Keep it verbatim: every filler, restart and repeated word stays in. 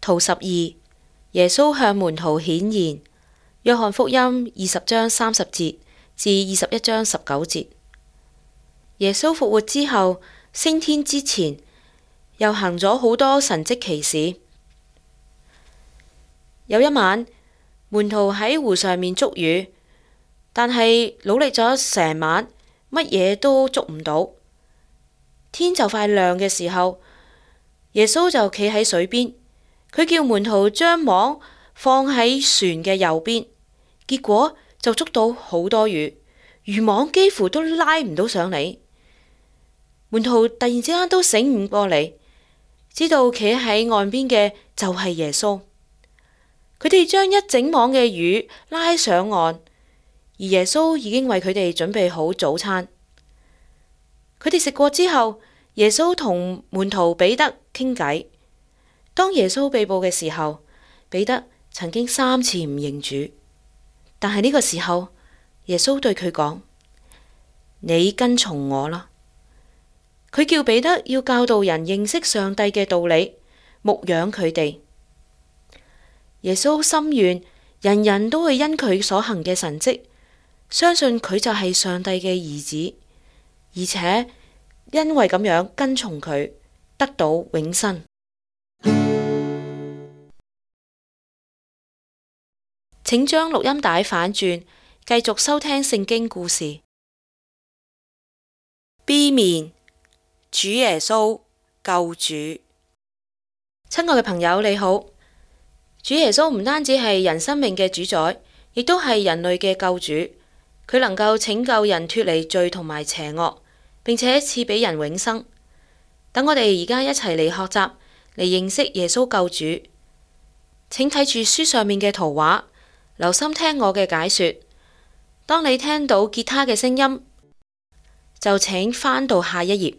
圖十二，耶穌向門徒顯現。約翰福音二十章三十節至二十一章十九節。耶穌復活之後，升天之前，又行咗好多神蹟奇事。有一晚，門徒喺湖上面捉魚，但係努力咗成晚，乜嘢都捉唔到。天就快亮嘅時候，耶穌就企喺水邊，佢叫門徒將網放喺船嘅右邊，結果就捉到好多魚，漁網幾乎都拉唔到上嚟。門徒突然之間都醒悟過嚟，知道企喺岸邊嘅就係耶穌。佢哋將一整網嘅魚拉上岸，而耶穌已經為佢哋準備好早餐。佢哋食過之後，耶穌同門徒彼得傾偈。當耶穌被捕嘅時候，彼得曾經三次唔認主，但係呢個時候，耶穌對佢講：你跟從我啦。佢叫彼得要教導人認識上帝嘅道理，牧養佢哋。耶穌心願人人都會因佢所行嘅神蹟，相信佢就係上帝嘅兒子，而且因為咁樣跟從佢，得到永生。請將錄音帶反轉，繼續收聽聖經故事。B 面，主耶穌救主。親愛嘅朋友，你好。主耶穌唔單止係人生命嘅主宰，亦都係人類嘅救主。佢能夠拯救人脫離罪同埋邪惡，並且賜俾人永生。等我哋而家一齊嚟學習，嚟認識耶穌救主。請睇住書上面嘅圖畫，留心聽我嘅解說。當你聽到吉他嘅聲音，就請翻到下一頁。